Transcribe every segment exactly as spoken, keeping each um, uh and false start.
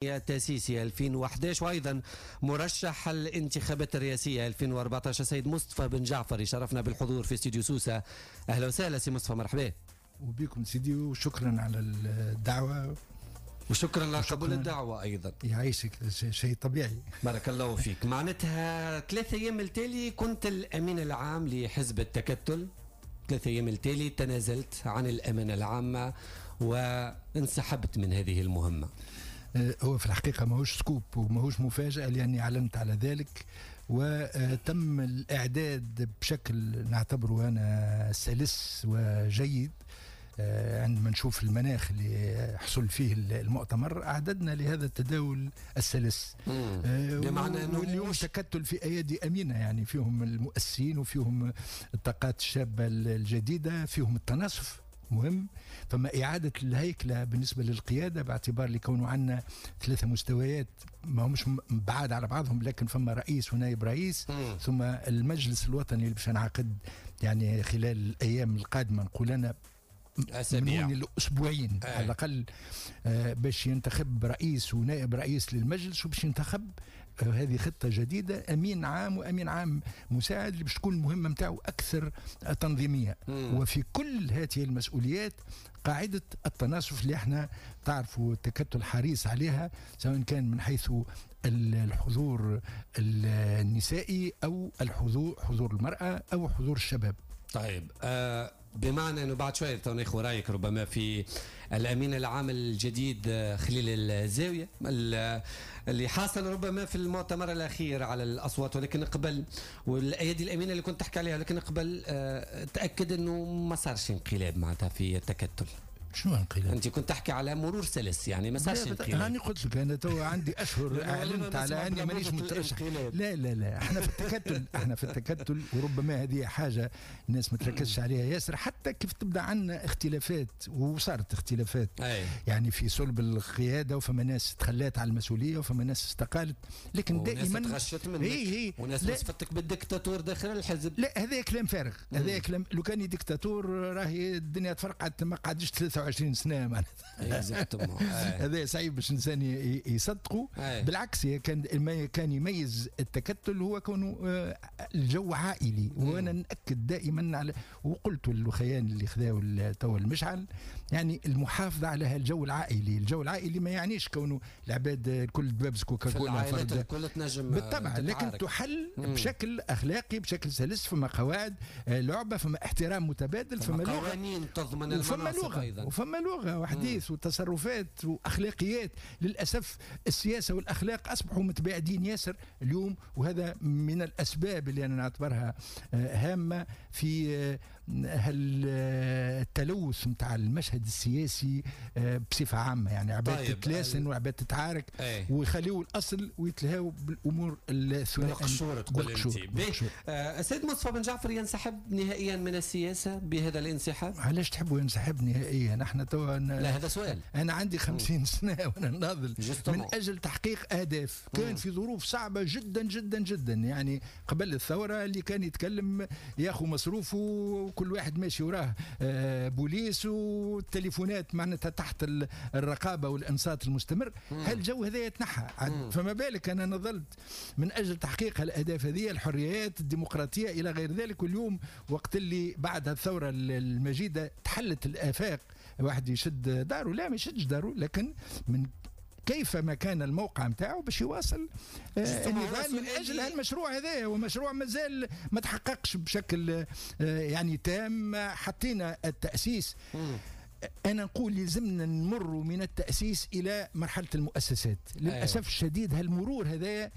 التأسيسي ألفين وأحد عشر وأيضا مرشح الانتخابات الرئاسية ألفين وأربعة عشر سيد مصطفى بن جعفر، يشرفنا بالحضور في استوديو سوسة. أهلا وسهلا سي مصطفى، مرحبا. وبكم سيدي، وشكرا على الدعوة. وشكرا لقبول الدعوة أيضا. يعيشك، شيء طبيعي. بارك الله فيك. معناتها ثلاثة أيام التالي كنت الأمين العام لحزب التكتل، ثلاثة أيام التالي تنازلت عن الأمانة العامة وانسحبت من هذه المهمة. هو في الحقيقة ماهوش scoop وماهوش مفاجأة، لأني أعلنت على ذلك وتم الإعداد بشكل نعتبره أنا سلس وجيد. عندما نشوف المناخ اللي حصل فيه المؤتمر أعددنا لهذا التداول السلس، بمعنى أنه واليوم تكتل في أيادي أمينة، يعني فيهم المؤسسين وفيهم الطاقات الشابة الجديدة، فيهم التناصف مهم، فما إعادة الهيكلة بالنسبة للقيادة باعتبار لكونه عندنا ثلاثة مستويات ما همش بعاد على بعضهم، لكن فما رئيس ونائب رئيس، م. ثم المجلس الوطني اللي باش نعقد يعني خلال الأيام القادمة، نقول أنا أسابيع من الأسبوعين على الأقل، آه باش ينتخب رئيس ونائب رئيس للمجلس، وباش ينتخب آه هذه خطة جديدة أمين عام وأمين عام مساعد اللي باش تكون المهمة متاعه أكثر تنظيمية. مم. وفي كل هذه المسؤوليات قاعدة التناصف اللي احنا تعرفوا التكتل حريص عليها، سواء كان من حيث الحضور النسائي أو الحضور حضور المرأة أو حضور الشباب. طيب آه بمعنى انه بعد شوية ناخذ رايك ربما في الامين العام الجديد خليل الزاوية اللي حاصل ربما في المؤتمر الاخير على الاصوات، ولكن قبل والايادي الامينة اللي كنت تحكي عليها، لكن قبل آه تاكد انه ما صارش انقلاب معناتها في التكتل. شنو انقلاب؟ انت كنت تحكي على مرور سلس، يعني ما صارش انقلاب. انا قلت لك انا تو عندي اشهر اعلنت على اني مانيش مترشح. لا لا لا، احنا في التكتل، احنا في التكتل، وربما هذه حاجة الناس ما تركزش عليها ياسر، حتى كيف تبدا عندنا اختلافات، وصارت اختلافات أي. يعني في صلب القيادة، وفما ناس تخلات على المسؤولية وفما ناس استقالت، لكن دائما تغشت منك هي هي. وناس وصفتك بالدكتاتور داخل الحزب. لا، هذا كلام فارغ، هذا كلام لو كان ديكتاتور راهي الدنيا تفرقعت، ما قعدش ثلاثة وعشرين سنة معناتها. هذا صعيب باش الانسان يصدقه. بالعكس، كان ما كان يميز التكتل هو كونه الجو عائلي، وانا ناكد دائما على، وقلت للخيان اللي خذاو تو المشعل، يعني المحافظة على هالجو العائلي. الجو العائلي ما يعنيش كونه العباد الكل دبابز كوكاكولا فرد، الكل تنجم بالطبع، لكن تحل مم. بشكل اخلاقي، بشكل سلس، فما قواعد لعبه، فما احترام متبادل، فما لغة، قوانين تضمن المناصب ايضا، وفما لغة وحديث وتصرفات وأخلاقيات. للأسف السياسة والأخلاق أصبحوا متباعدين ياسر اليوم، وهذا من الأسباب اللي أنا نعتبرها هامة في التلوث متاع المشهد السياسي بصفة عامة. يعني عباد طيب تتلاسن وعباد تتعارك ويخليوا الأصل ويتلهاو بالأمور الثنائية بالقشور. تقول أنت السيد مصطفى بن جعفر ينسحب نهائيا من السياسة بهذا الانسحاب؟ علاش تحبوا ينسحب نهائيا؟ نحن تو أنا لا، هذا سؤال. أنا عندي خمسين سنة وأنا ناضل من أجل تحقيق أهداف. كان في ظروف صعبة جدا جدا جدا، يعني قبل الثورة اللي كان يتكلم ياخو مصروفه وكل واحد ماشي وراه بوليس، والتليفونات معناتها تحت الرقابة والإنصات المستمر. هالجو هذا يتنحى، فما بالك أنا نضلت من أجل تحقيق الأهداف هذه، الحريات، الديمقراطية إلى غير ذلك. واليوم وقت اللي بعد الثورة المجيدة تحلت الآفاق، واحد يشد داره، لا ما يشدش داره، لكن من كيف ما كان الموقع نتاعو باش يواصل النضال من اجل هالمشروع هذا. ومشروع مازال ما تحققش بشكل يعني تام. حطينا التأسيس، مم. أنا نقول يلزمنا نمر من التأسيس إلى مرحلة المؤسسات. للأسف أيوة. الشديد هالمرور هذا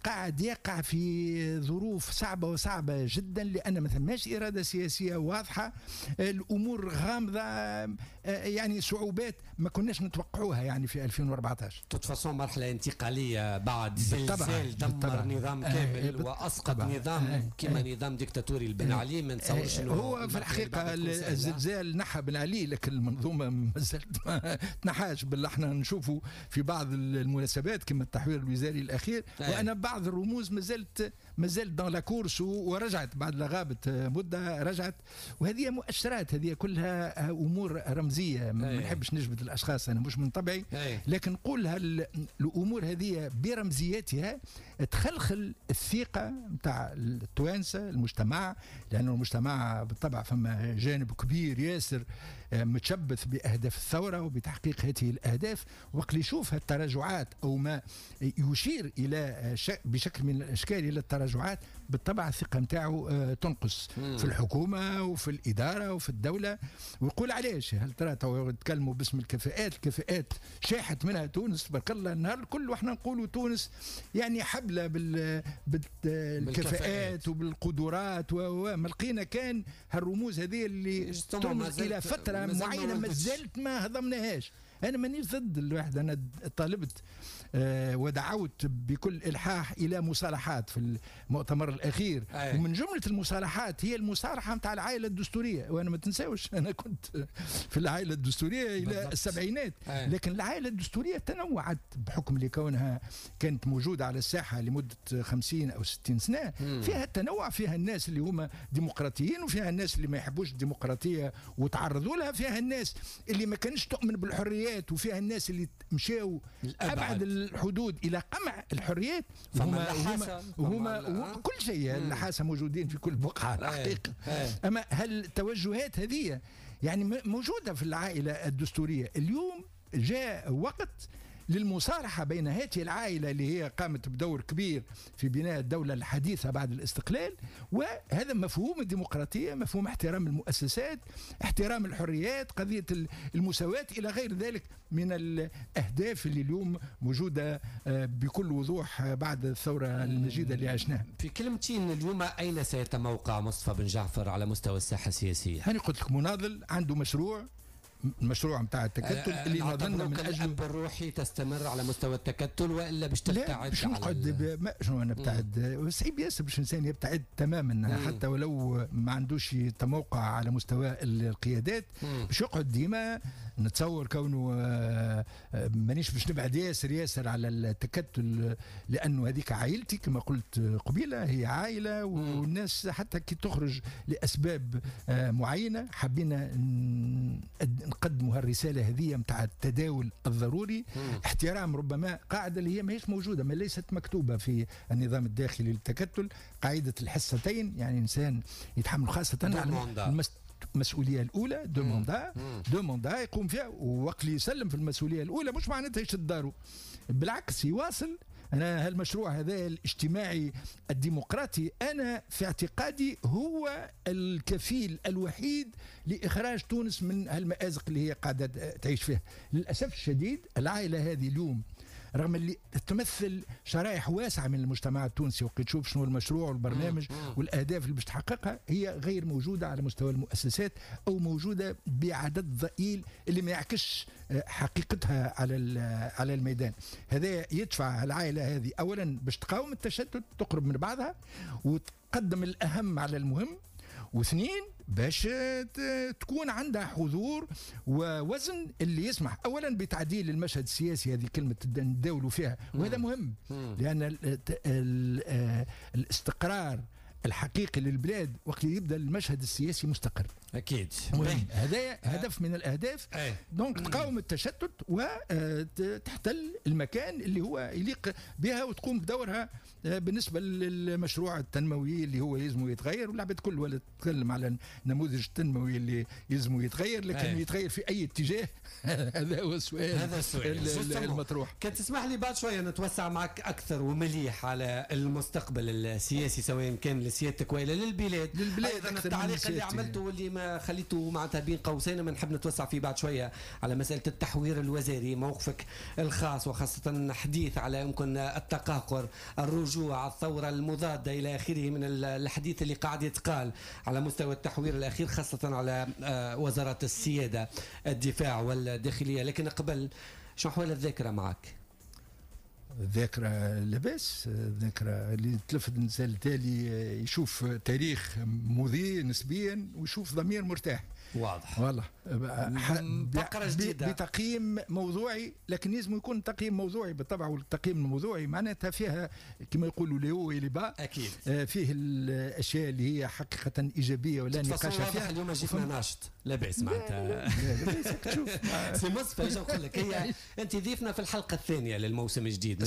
قاعد يقع في ظروف صعبة وصعبة جدا، لأن ما ثماش إرادة سياسية واضحة، الأمور غامضة، يعني صعوبات ما كناش نتوقعوها يعني في ألفين وأربعة عشر. تتفاصل مرحلة انتقالية بعد زلزال دمر نظام كامل وأسقط نظام كما نظام ديكتاتوري بن علي. ما نتصورش انه هو في الحقيقة الزلزال نحى بن علي، لكن المنظومة مازالت ما تنحاش، بل احنا نشوفوا في بعض المناسبات كما التحوير الوزاري الاخير أي. وان بعض الرموز مازالت مازالت dans la course ورجعت بعد لا غابت مده رجعت، وهذه مؤشرات، هذه كلها امور رمزية، ما نحبش نجبد الاشخاص انا مش من طبعي، لكن نقول الامور هذه برمزيتها تخلخل الثقة نتاع التوانسة المجتمع، لانه المجتمع بالطبع فما جانب كبير ياسر متشبث باهداف الثورة وبتحقيق هذه الاهداف، وقت اللي يشوف التراجعات او ما يشير الى بشكل من الاشكال الى التراجعات بالطبع الثقة نتاعو تنقص مم. في الحكومة وفي الادارة وفي الدولة، ويقول علاش هل ترى تكلموا باسم الكفاءات، الكفاءات شاحت منها تونس تبارك الله النهار الكل، واحنا نقولوا تونس يعني حبلة بال بالكفاءات وبالقدرات، وما لقينا كان هالرموز هذه اللي ترمز الى فترة معينة ما زالت ما هضمناهاش. انا مانيش ضد الواحد، انا طالبت آه ودعوت بكل الحاح الى مصالحات في المؤتمر الاخير. أي. ومن جملة المصالحات هي المصالحة نتاع العائلة الدستورية، وانا ما تنساوش انا كنت في العائلة الدستورية الى بالضبط. السبعينات. أي. لكن العائلة الدستورية تنوعت بحكم لكونها كانت موجودة على الساحة لمدة خمسين او ستين سنة. مم. فيها التنوع، فيها الناس اللي هما ديمقراطيين، وفيها الناس اللي ما يحبوش الديمقراطية وتعرضوا لها، فيها الناس اللي ما كانش تؤمن بالحريات، وفيها الناس اللي مشاو ابعد الحدود الى قمع الحريات، وهما وهما, وهما كل شيء اللحاسه موجودين في كل بقعة الحقيقة. اما هل التوجهات هذه يعني موجودة في العائلة الدستورية؟ اليوم جاء وقت للمصالحة بين هذه العائلة اللي هي قامت بدور كبير في بناء الدولة الحديثة بعد الاستقلال، وهذا مفهوم الديمقراطية، مفهوم احترام المؤسسات، احترام الحريات، قضية المساواة إلى غير ذلك من الأهداف اللي اليوم موجودة بكل وضوح بعد الثورة المجيدة اللي عشناها. في كلمتين اليوم أين سيتموقع مصطفى بن جعفر على مستوى الساحة السياسية؟ أنا قلت لك مناضل عنده مشروع، المشروع نتاع التكتل اللي نظلنا من اجله. الاب الروحي تستمر على مستوى التكتل والا باش تبتعد؟ باش نقعد ما شنو نبتعد، صعيب ياسر باش الانسان يبتعد تماما. مم. حتى ولو ما عندوش تموقع على مستوى القيادات باش يقعد ديما. نتصور كونه مانيش باش نبعد ياسر ياسر على التكتل، لانه هذيك عائلتي كما قلت قبيلة، هي عائلة، والناس حتى كي تخرج لاسباب معينة حبينا نقدموا هالرساله هذه نتاع التداول الضروري. مم. احترام ربما قاعدة اللي هي ماهيش موجودة، ما ليست مكتوبة في النظام الداخلي للتكتل، قاعدة الحصتين، يعني انسان يتحمل خاصة على المسؤولية الاولى، deux mandats، deux mandats يقوم فيها، ووقت اللي يسلم في المسؤولية الاولى مش معناتها يشد داره، بالعكس يواصل. أنا هالمشروع هذا الاجتماعي الديمقراطي أنا في اعتقادي هو الكفيل الوحيد لإخراج تونس من هالمأزق اللي هي قاعدة تعيش فيها. للأسف الشديد العائلة هذه اليوم رغم اللي تمثل شرائح واسعة من المجتمع التونسي، وقت تشوف شنو المشروع والبرنامج والأهداف اللي باش تحققها، هي غير موجودة على مستوى المؤسسات أو موجودة بعدد ضئيل اللي ما يعكسش حقيقتها على على الميدان. هذا يدفع العائلة هذه أولا باش تقاوم التشتت، تقرب من بعضها وتقدم الأهم على المهم، واثنين باش تكون عندها حضور ووزن اللي يسمح اولا بتعديل المشهد السياسي، هذه كلمة نداولوا فيها وهذا مهم، لان الاستقرار الحقيقي للبلاد وقت يبدا المشهد السياسي مستقر. اكيد مهم. هذا هدف من الاهداف. donc تقاوم التشتت وتحتل المكان اللي هو يليق بها وتقوم بدورها بالنسبة للمشروع التنموي اللي هو يلزمه يتغير، والعباد كل ولا تتكلم على النموذج التنموي اللي يلزمه يتغير، لكن أي. يتغير في اي اتجاه؟ هذا هو السؤال، هذا السؤال المطروح. كان تسمح لي بعد شوية نتوسع معك اكثر ومليح على المستقبل السياسي سواء كان لسيادتك والا للبلاد. للبلاد ايضا التعليق اللي عملته واللي ما خليته معناتها بين قوسين ما نحب نتوسع فيه بعد شوية على مسالة التحوير الوزاري، موقفك الخاص وخاصة حديث على يمكن التقهقر، الرجوع، الثورة المضادة الى اخره من الحديث اللي قاعد يتقال على مستوى التحوير الاخير، خاصة على وزارة السيادة، الدفاع والداخليه. لكن قبل، شو احوال الذاكرة معك؟ الذاكرة لاباس، الذاكرة اللي تلفت الإنسان التالي يشوف تاريخ مضيء نسبيا ويشوف ضمير مرتاح. واضح. والله فقرة جديدة بتقييم موضوعي، لكن لازم يكون تقييم موضوعي بالطبع، والتقييم الموضوعي معناتها فيها كما يقولوا les hauts et les bas. اكيد. فيه الاشياء اللي هي حقيقة ايجابية ولا نقاش فيها. اليوم جيتنا ناشط لا باس معناتها. تشوف سي مصطفى، ايش نقول لك، هي انت ضيفنا في الحلقة الثانية للموسم الجديد.